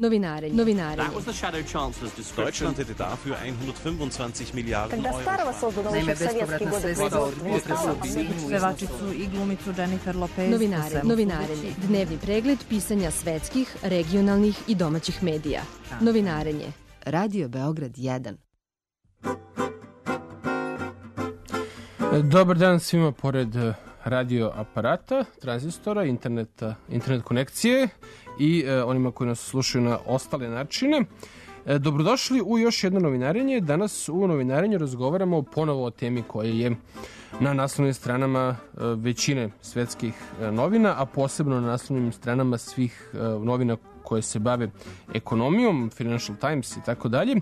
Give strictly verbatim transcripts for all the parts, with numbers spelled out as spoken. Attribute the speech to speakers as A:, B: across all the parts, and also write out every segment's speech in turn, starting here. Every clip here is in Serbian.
A: Novinarenje. Novinarenje.
B: Deutschland hätte dafür hundertfünfundzwanzig Milliarden Euro.
C: Naime, bespovratna sredstva od budžeta se objedinjuju.
D: Pevačicu i glumicu Jennifer Lopez.
A: Novinarenje. Novinarenje. Dnevni pregled pisanja svetskih, regionalnih i domaćih medija. Novinarenje. Radio Beograd jedan.
E: Dobar dan svima pored radio aparata, tranzistora, interneta, internet konekcije i e, onima koji nas slušaju na ostale načine. E, dobrodošli u još jedno novinarenje. Danas u novinarenju razgovaramo ponovo o temi koja je na naslovnim stranama e, većine svetskih e, novina, a posebno na naslovnim stranama svih e, novina koje se bave ekonomijom, Financial Times i tako dalje.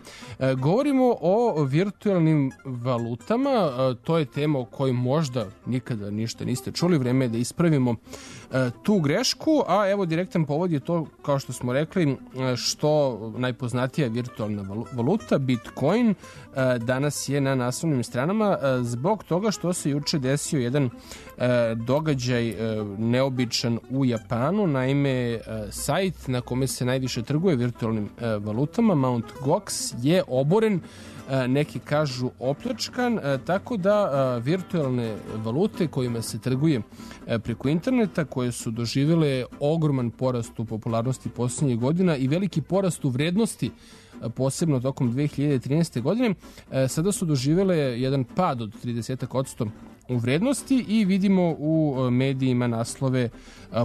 E: Govorimo o virtualnim valutama, e, to je tema o kojoj možda nikada ništa niste čuli, vreme je da ispravimo e, tu grešku, a evo direktan povod je to, kao što smo rekli, što najpoznatija virtualna valuta, Bitcoin, e, danas je na naslovnim stranama e, zbog toga što se juče desio jedan e, događaj e, neobičan u Japanu, naime e, sajt na kome se najviše trguje virtualnim e, valutama, Mount Gox, je oboren, e, neki kažu opljačkan, e, tako da e, virtualne valute kojima se trguje e, preko interneta, koje su doživjele ogroman porast u popularnosti posljednjih godina i veliki porast u vrednosti, posebno tokom dve hiljade trinaeste. godine, e, sada su doživjele jedan pad od trideset posto u vrednosti i vidimo u medijima naslove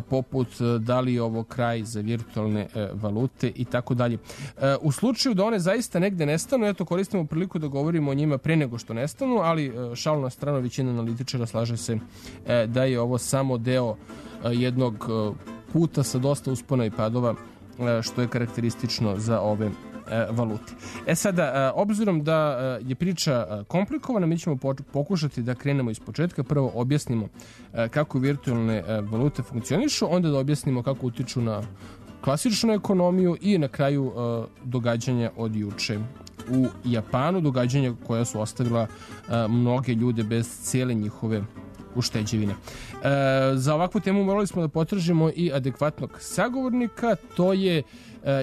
E: poput da li je ovo kraj za virtualne valute i tako dalje. U slučaju da one zaista negde nestanu, eto koristimo priliku da govorimo o njima pre nego što nestanu, ali šalu na stranu, većina analitičara slaže se da je ovo samo deo jednog puta sa dosta uspona i padova, što je karakteristično za ove valute. E sada, obzirom da je priča komplikovana, mi ćemo pokušati da krenemo iz početka. Prvo objasnimo kako virtualne valute funkcionišu, onda da objasnimo kako utiču na klasičnu ekonomiju i na kraju događanja od juče u Japanu, događanja koja su ostavila mnoge ljude bez cijele njihove ušteđevine. E, za ovakvu temu morali smo da potražimo i adekvatnog sagovornika. To je e,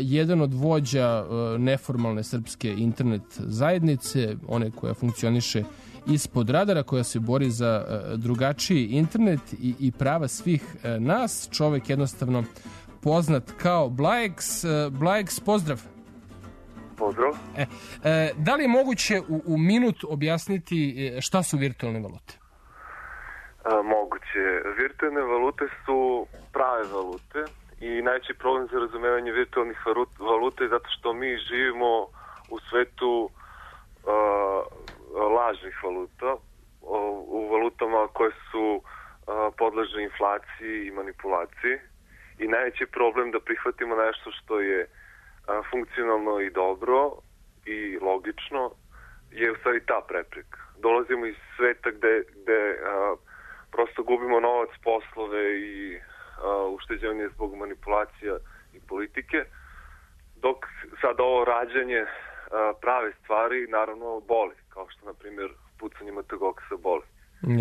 E: jedan od vođa e, neformalne srpske internet zajednice, one koja funkcioniše ispod radara, koja se bori za e, drugačiji internet i, i prava svih e, nas. Čovek jednostavno poznat kao Blajex. E, Blajex, pozdrav.
F: Pozdrav.
E: E, e, da li je moguće u, u minut objasniti šta su virtualne valute?
F: A, moguće. Virtualne valute su prave valute i najveći problem za razumevanje virtualnih valuta je zato što mi živimo u svetu uh, lažnih valuta, u valutama koje su uh, podležne inflaciji i manipulaciji i najveći problem da prihvatimo nešto što je uh, funkcionalno i dobro i logično je u stvari ta prepreka. Dolazimo iz sveta gde, gde uh, prosto gubimo novac, poslove i uh, ušteđevanje zbog manipulacija i politike, dok sad ovo rađanje uh, prave stvari naravno boli, kao što na primjer pucanje Mount Goxa boli.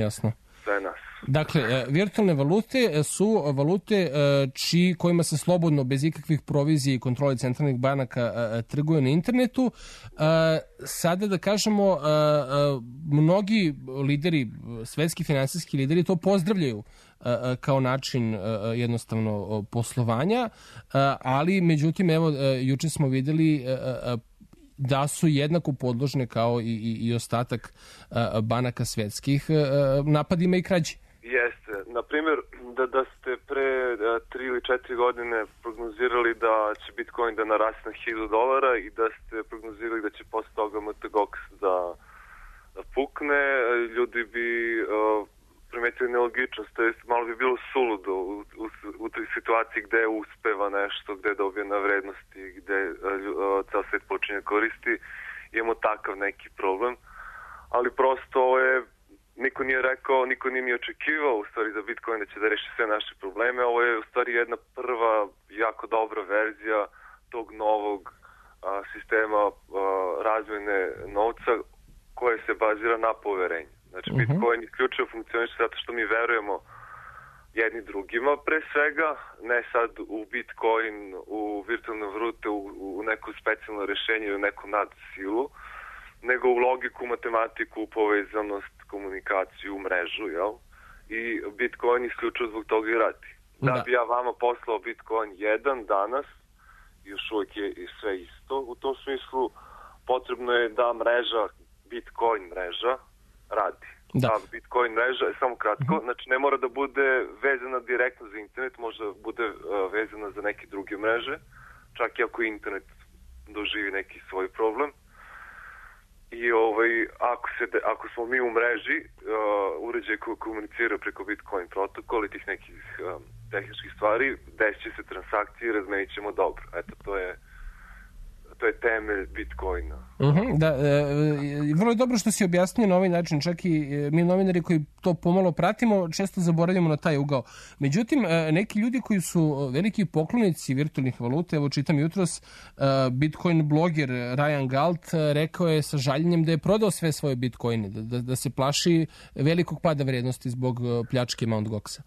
E: Jasno.
F: Sve nas.
E: Dakle, virtualne valute su valute čiji, kojima se slobodno, bez ikakvih provizija i kontrole centralnih banaka trguje na internetu. Sada da kažemo, mnogi lideri, svetski finansijski lideri to pozdravljaju kao način jednostavno poslovanja, ali međutim, evo, juče smo videli da su jednako podložne kao i, i, i ostatak uh, banaka svetskih uh, napadima i krađi.
F: Jeste. Naprimjer, da, da ste pre uh, tri ili četiri godine prognozirali da će Bitcoin da naraste na hiljadu dolara i da ste prognozirali da će posle toga Mount Gox da, da pukne, ljudi bi uh, primetili nelogičnost, to jest malo bi bilo suludo u, u, u toj situaciji gde uspeva nešto, gde dobije na vrednosti, gde uh, ceo svet počinje koristi, imamo takav neki problem, ali prosto ovo je, niko nije rekao, niko nije ni očekivao u stvari za Bitcoin da će da reši sve naše probleme, ovo je u stvari jedna prva jako dobra verzija tog novog uh, sistema uh, razmjene novca koje se bazira na poverenju. Znači, uh-huh. Bitcoin isključivo funkcioniše zato što mi verujemo jedni drugima pre svega, ne sad u Bitcoin, u virtualne valute, u, u neko specijalno rešenje ili neku nadsilu, nego u logiku, matematiku, povezanost, komunikaciju, mrežu, jel? I Bitcoin isključivo zbog toga i radi. Da, da bi ja vama poslao Bitcoin jedan danas, još uvijek je sve isto, u tom smislu potrebno je da mreža, Bitcoin mreža, radi.
E: Da.
F: Da, Bitcoin mreža, samo kratko, uh-huh. znači ne mora da bude vezana direktno za internet, može da bude uh, vezana za neke druge mreže, čak i ako internet doživi neki svoj problem. I ovaj, ako, se de, ako smo mi u mreži, uh, uređaj koji komunicira preko Bitcoin protokola i tih nekih um, tehničkih stvari, desit će se transakcije i razmenit ćemo dobro. Eto, to je to je temelj Bitcoina.
E: Uh-huh, da, e, vrlo je dobro što si objasnio na ovaj način, čak i e, mi novinari koji to pomalo pratimo, često zaboravljamo na taj ugao. Međutim, e, neki ljudi koji su veliki poklonici virtualnih valuta, evo čitam jutros, e, Bitcoin bloger Ryan Galt e, rekao je sa žaljenjem da je prodao sve svoje Bitcoine, da, da, da se plaši velikog pada vrednosti zbog pljačke Mt. Goxa.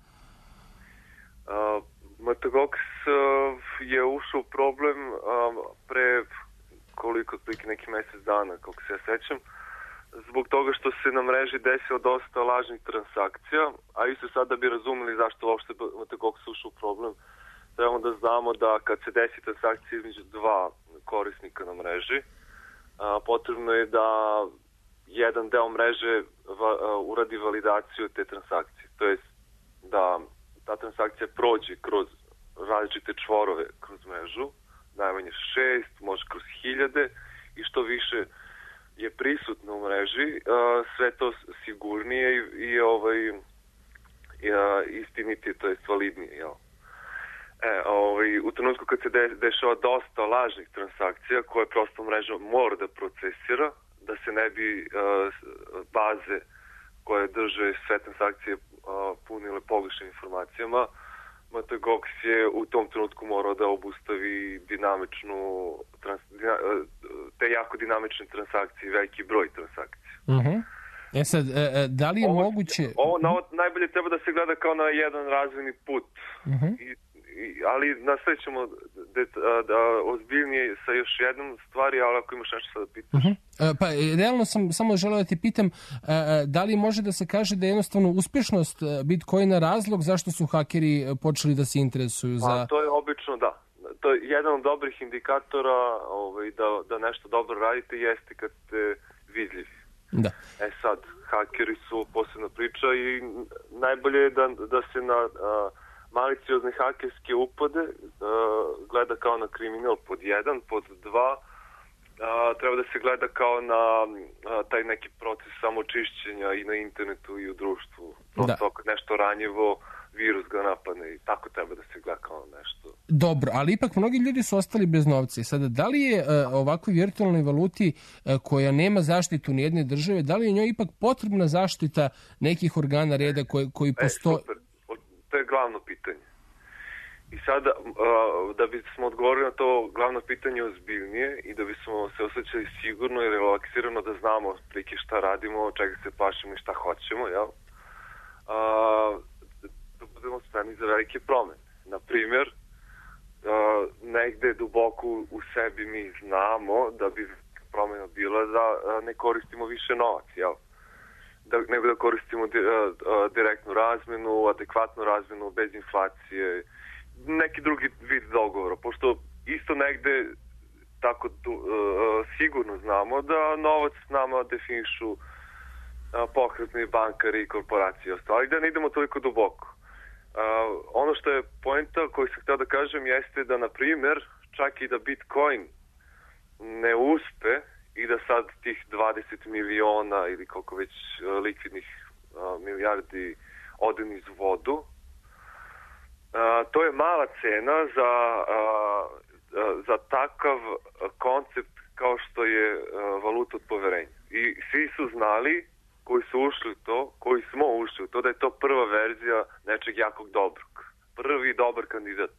F: Uh, Mt. Gox uh, je ušao u problem um, pre koliko, otprilike neki mjesec dana, kako se ja sećam, zbog toga što se na mreži desilo dosta lažnih transakcija, a isto sad da bi razumeli zašto uopšte Mt. Gox ušao u problem, trebamo da znamo da kad se desi transakcija između dva korisnika na mreži, a, potrebno je da jedan deo mreže va, a, uradi validaciju te transakcije, to jest da ta transakcija prođe kroz različite čvorove kroz mrežu, najmanje šest, može kroz hiljade, i što više je prisutno u mreži, sve to sigurnije i, i ovaj, i, istinitije, to je validnije. Jel? E, ovaj, u trenutku kad se de, dešava dosta lažnih transakcija koje prosto mreža mora da procesira, da se ne bi uh, baze koje drže sve transakcije uh, punile pogrešnim informacijama, Mt. Gox je u tom trenutku morao da obustavi dinamičnu, trans, dina, te jako dinamične transakcije, veliki broj transakcija.
E: Uh-huh. E sad, e, da li je
F: ovo,
E: moguće...
F: Ovo, na, ovo najbolje treba da se gleda kao na jedan razvojni put. Uh-huh. I, i, ali nastavit ćemo da, da ozbiljnije sa još jednom stvari, ali ako imaš nešto sad da pitaš.
E: Uh-huh. E, pa, realno sam samo želeo da ti pitam, e, da li može da se kaže da je jednostavno uspješnost Bitcoina razlog zašto su hakeri počeli da se interesuju za...
F: Pa, to je obično, da. To je jedan od dobrih indikatora ovaj, da, da nešto dobro radite, jeste kad ste vidljivi.
E: Da.
F: E sad, hakeri su posebna priča i najbolje je da, da se na a, maliciozne hakerske upade a, gleda kao na kriminal pod jedan, pod dva, a, treba da se gleda kao na a, taj neki proces samočišćenja i na internetu i u društvu. Prosto da. Nešto ranjivo, virus ga napadne i tako treba da se gleda kao nešto.
E: Dobro, ali ipak mnogi ljudi su ostali bez novca. Sada, da li je uh, ovakvoj virtualnoj valuti uh, koja nema zaštitu ni jedne države, da li je njoj ipak potrebna zaštita nekih organa reda koji, koji postoje?
F: E, super. To je glavno pitanje. I sada, uh, da bismo odgovorili na to glavno pitanje ozbiljnije i da bismo se osjećali sigurno i relaksirano da znamo prike šta radimo, čega se plašimo i šta hoćemo, jel? Uh, da budemo spremni za velike promene. Na primjer, uh, negde duboko u sebi mi znamo da bi promena bila da uh, ne koristimo više novac, jel? Da, nego da koristimo di, uh, uh, direktnu razmenu, adekvatnu razmenu, bez inflacije, neki drugi vid dogovora, pošto isto negde tako uh, sigurno znamo da novac nama definišu uh, pokretni bankari i korporacije, ali da ne idemo toliko duboko. Uh, ono što je poenta koju sam htio da kažem jeste da, na primjer, čak i da Bitcoin ne uspe i da sad tih dvadeset miliona ili koliko već uh, likvidnih uh, milijardi ode niz vodu, uh, to je mala cena za, uh, uh, za takav koncept kao što je uh, valuta od poverenja. I svi su znali, koji su ušli u to, koji smo ušli u to, da je to prva verzija nečeg jakog dobrog. Prvi dobar kandidat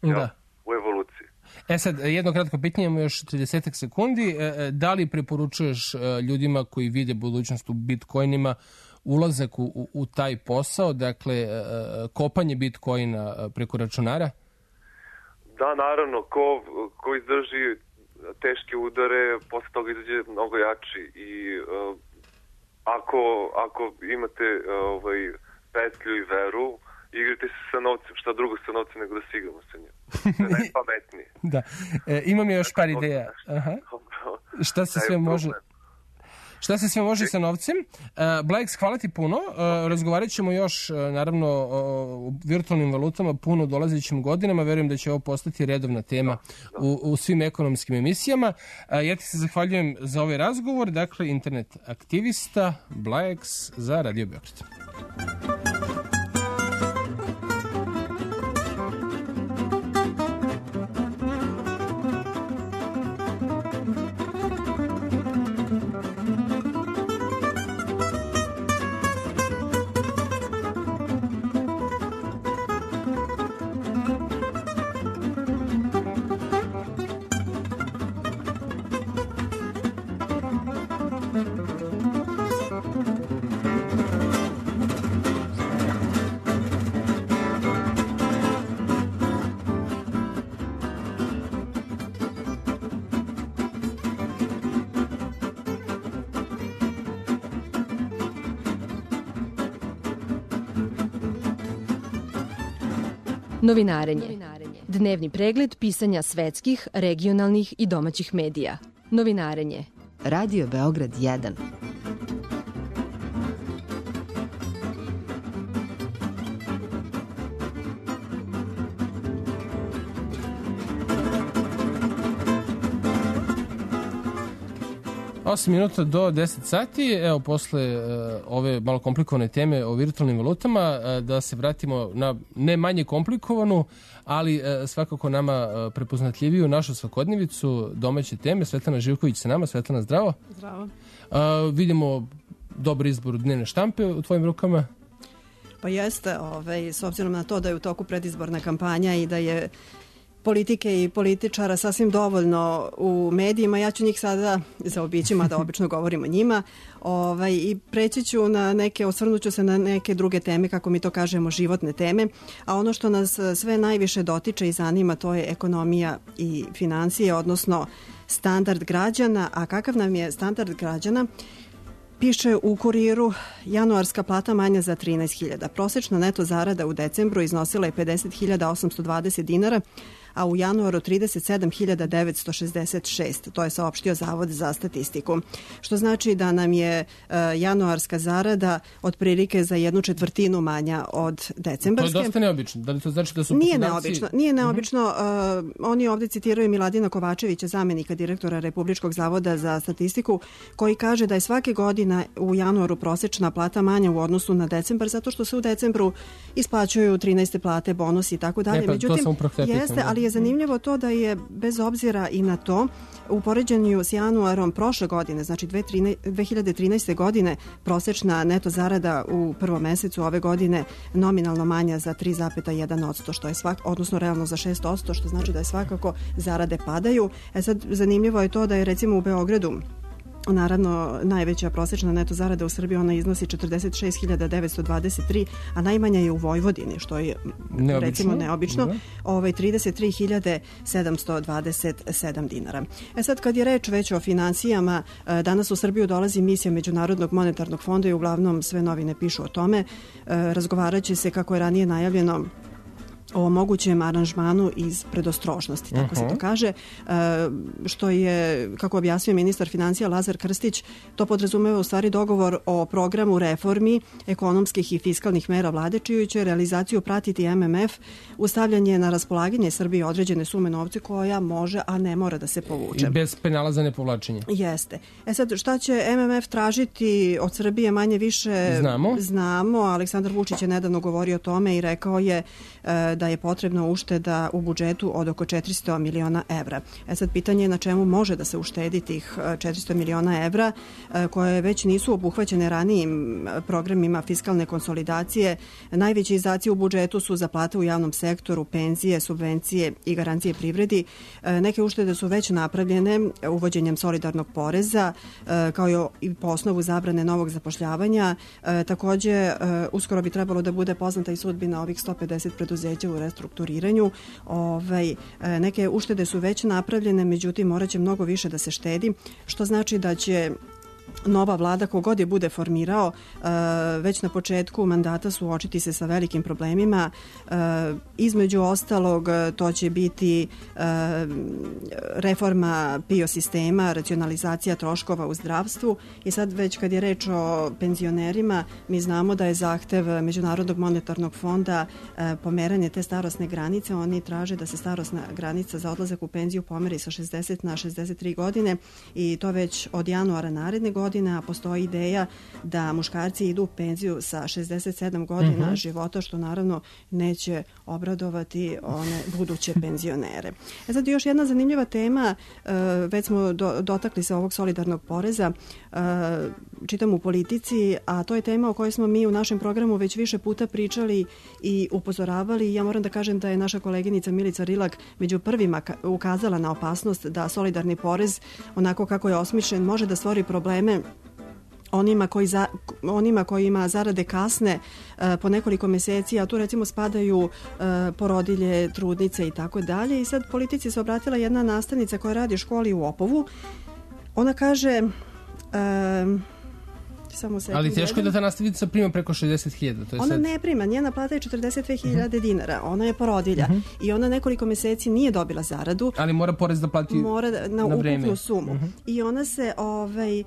F: ja,
E: da.
F: u evoluciji.
E: E sad, jedno kratko pitanje, imamo još trideset sekundi. Da li preporučuješ ljudima koji vide budućnost u bitcoinima ulazak u, u, u taj posao, dakle kopanje Bitcoina preko računara?
F: Da, naravno, ko, ko izdrži teške udare, posle toga izađe mnogo jači i uh, ako, ako imate uh, ovaj, petlju i veru, igrajte se sa novcem, šta drugo sa novcem nego da se igramo sa njim. To je najpametnije.
E: Da. E, imam još par ideja. Aha. Šta se sve može... Šta se sve može sa novcem? Uh, Blajks, hvala ti puno. Uh, razgovarat ćemo još, uh, naravno, o virtualnim valutama puno dolazećim godinama. Verujem da će ovo postati redovna tema u, u svim ekonomskim emisijama. Uh, ja ti se zahvaljujem za ovaj razgovor. Dakle, internet aktivista Blajks za Radio Beograd.
A: Novinarenje. Dnevni pregled pisanja svetskih, regionalnih i domaćih medija. Novinarenje. Radio Beograd jedan.
E: osam minuta do deset sati, evo posle uh, ove malo komplikovane teme o virtualnim valutama, uh, da se vratimo na ne manje komplikovanu, ali uh, svakako nama uh, prepoznatljiviju našu svakodnevicu, domaće teme. Svetlana Živković sa nama. Svetlana, zdravo.
G: Zdravo.
E: Uh, vidimo dobar izbor dnevne štampe u tvojim rukama.
G: Pa jeste, ovaj, s obzirom na to da je u toku predizborna kampanja i da je politike i političara sasvim dovoljno u medijima, ja ću njih sada zaobići, mada obično govorim o njima, ovaj, i preći ću na neke, osvrnuću se na neke druge teme, kako mi to kažemo, životne teme, a ono što nas sve najviše dotiče i zanima, to je ekonomija i financije, odnosno standard građana. A kakav nam je standard građana? Piše u Kuriru, januarska plata manja za trinaest hiljada. Prosečna neto zarada u decembru iznosila je pedeset hiljada osamsto dvadeset dinara, a u januaru trideset sedam hiljada devetsto šezdeset šest. To je saopštio Zavod za statistiku. Što znači da nam je uh, januarska zarada otprilike za jednu četvrtinu manja od decembarske.
E: To je dosta neobično. Da li to znači da su
G: Nije
E: poslodavci...
G: neobično. Nije neobično. Uh, oni ovdje citiraju Miladina Kovačevića, zamenika direktora Republičkog zavoda za statistiku, koji kaže da je svake godine u januaru prosečna plata manja u odnosu na decembar, zato što se u decembru isplaćuju trinaeste plate, bonusi i tako dalje.
E: Ne, pa,
G: međutim, jeste, ali je zanimljivo to da je bez obzira i na to u poređenju s januarom prošle godine, znači dve hiljade trinaeste. godine, prosečna neto zarada u prvom mesecu ove godine nominalno manja za tri zarez jedan posto, što je svak, odnosno realno za šest posto, što znači da je svakako zarade padaju. E sad, zanimljivo je to da je recimo u Beogradu, naravno, najveća prosečna neto zarada u Srbiji, ona iznosi četrdeset šest hiljada devetsto dvadeset tri, a najmanja je u Vojvodini, što je neobično. recimo neobično, da. ovaj, trideset tri hiljade sedamsto dvadeset sedam dinara. E sad, kad je reč već o financijama, danas u Srbiju dolazi misija Međunarodnog monetarnog fonda i uglavnom sve novine pišu o tome. Razgovarat će se, kako je ranije najavljeno, o mogućem aranžmanu iz predostrožnosti, tako uh-huh. se to kaže, što je, kako objasnio ministar financija Lazar Krstić, to podrazumeva u stvari dogovor o programu reformi ekonomskih i fiskalnih mera vlade, čiju će realizaciju pratiti M M F, ustavljanje na raspolaganje Srbiji određene sume novca koja može, a ne mora da se povuče.
E: I bez penala za nepovlačenje.
G: Jeste. E sad, šta će M M F tražiti od Srbije, manje više
E: znamo.
G: Znamo. Aleksandar Vučić je nedavno govorio o tome i rekao je da da je potrebno ušteda u budžetu od oko četiristo miliona evra. E sad, pitanje je na čemu može da se uštedi tih četiristo miliona evra, koje već nisu obuhvaćene ranijim programima fiskalne konsolidacije. Najveći izdaci u budžetu su za plate u javnom sektoru, penzije, subvencije i garancije privredi. Neke uštede su već napravljene uvođenjem solidarnog poreza, kao i po osnovu zabrane novog zapošljavanja. Takođe, uskoro bi trebalo da bude poznata i sudbina ovih sto pedeset preduzeća u restrukturiranju. Ovaj, neke uštede su već napravljene, međutim, morat će mnogo više da se štedi, što znači da će nova vlada, kogod je bude formirao, već na početku mandata suočiti se sa velikim problemima. Između ostalog, to će biti reforma P I O sistema, racionalizacija troškova u zdravstvu. I sad već kad je reč o penzionerima, mi znamo da je zahtev Međunarodnog monetarnog fonda pomeranje te starosne granice. Oni traže da se starosna granica za odlazak u penziju pomeri sa šezdeset na šezdeset tri godine i to već od januara naredne godine, a postoji ideja da muškarci idu u penziju sa šezdeset sedam godina mm-hmm. života, što naravno neće obradovati one buduće penzionere. E sad još jedna zanimljiva tema, već smo do, dotakli se ovog solidarnog poreza, čitam u Politici, a to je tema o kojoj smo mi u našem programu već više puta pričali i upozoravali. Ja moram da kažem da je naša koleginica Milica Rilak među prvima ukazala na opasnost da solidarni porez, onako kako je osmišljen, može da stvori probleme onima, koji za, onima kojima zarade kasne uh, po nekoliko meseci, a tu recimo spadaju uh, porodilje, trudnice i tako dalje. I sad Politici se obratila jedna nastavnica koja radi u školi u Opovu. Ona kaže... Uh, Samo
E: ali teško je da ta nastavnica prima preko šezdeset hiljada.
G: Ona sad... ne prima, njena plata je četrdeset dve hiljade uh-huh. dinara, ona je porodilja uh-huh. i ona nekoliko meseci nije dobila zaradu.
E: Ali mora porez da plati
G: mora na, na ukupnu
E: vreme.
G: Sumu. Uh-huh. I ona se ovaj, e,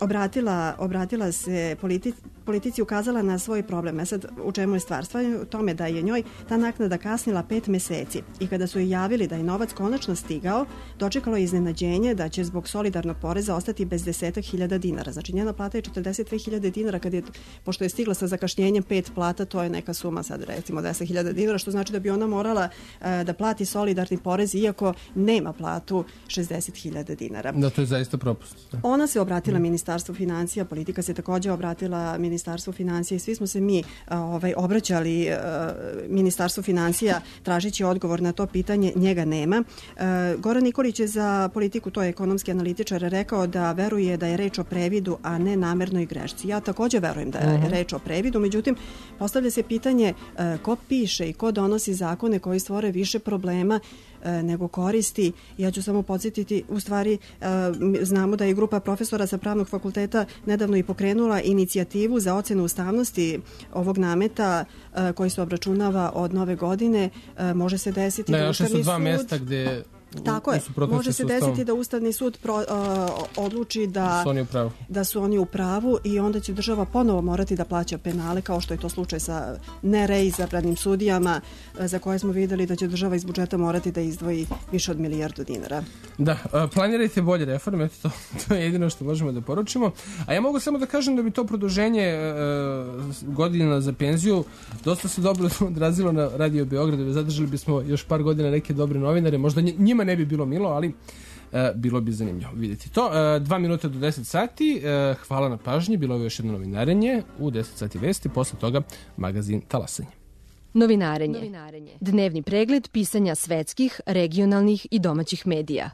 G: obratila, obratila se politi, Politici, ukazala na svoj problem. E sad, u čemu je stvar? Stvar je u tome da je njoj ta naknada kasnila pet meseci i kada su joj javili da je novac konačno stigao, dočekalo je iznenađenje da će zbog solidarnog poreza ostati bez desetak hiljada dinara. Znači, njena plata je četrdeset dve hiljade dinara, kad je, pošto je stigla sa zakašnjenjem pet plata, to je neka suma sad recimo deset hiljada dinara, što znači da bi ona morala uh, da plati solidarni porez iako nema platu šezdeset hiljada dinara.
E: Da, to je zaista propust. Da.
G: Ona se obratila mm. Ministarstvu financija, Politika se takođe obratila Ministarstvu financija i svi smo se mi uh, ovaj, obraćali uh, Ministarstvu financija tražići odgovor na to pitanje, njega nema. Uh, Goran Nikolić je za Politiku, to je ekonomski analitičar, rekao da veruje da je reč o previdu, a ne namernoj grešci. Ja takođe verujem da je uh-huh. reč o previdu, međutim, postavlja se pitanje uh, ko piše i ko donosi zakone koji stvore više problema nego koristi. Ja ću samo podsjetiti, u stvari znamo da je grupa profesora sa Pravnog fakulteta nedavno i pokrenula inicijativu za ocenu ustavnosti ovog nameta koji se obračunava od nove godine. Može se desiti
E: da,
G: da Ustavni sud...
E: su dva mesta gde...
G: Tako je. Može se desiti da Ustavni sud pro, uh, odluči da
E: su, oni u pravu.
G: da su oni u pravu i onda će država ponovo morati da plaća penale, kao što je to slučaj sa nereizabranim sudijama uh, za koje smo videli da će država iz budžeta morati da izdvoji više od milijardu dinara.
E: Da, uh, planirajte bolje reforme, to, to je jedino što možemo da poručimo. A ja mogu samo da kažem da bi to produženje uh, godina za penziju dosta se dobro odrazilo na Radio Beograd. Zadržali bismo još par godina neke dobre novinare, možda njima ne bi bilo milo, ali uh, bilo bi zanimljivo vidjeti to. Uh, dva minuta do deset sati. Uh, hvala na pažnji. Bilo je još jedno novinarenje. U deset sati vesti. Posle toga magazin Talasanje.
A: Novinarenje. Novinarenje. Dnevni pregled pisanja svetskih, regionalnih i domaćih medija.